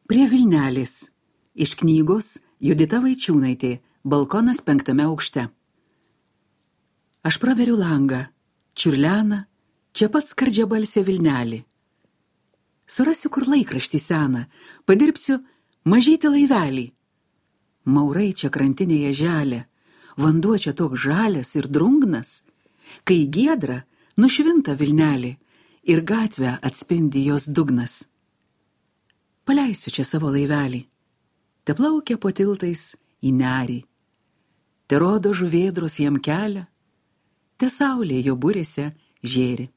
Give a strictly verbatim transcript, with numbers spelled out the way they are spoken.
Prie Vilnelės. Iš knygos Judita Vaičiūnaitė. Balkonas penktame aukšte. Aš praveriu langą. Čiurlena, čia pat skardžia balsė Vilnelė. Surasiu kur laikraštį seną, padirbsiu mažytį laivelį. Maurai čia krantinėje želia, vanduo čia toks žalias ir drungnas, kai giedra nušvinta Vilnelė ir gatvę atspindi jos dugnas. Paleisiu čia savo laivelį, te plaukia po tiltais į nerį, te rodo žuvėdros jam kelią, te saulė jo burėse žėri.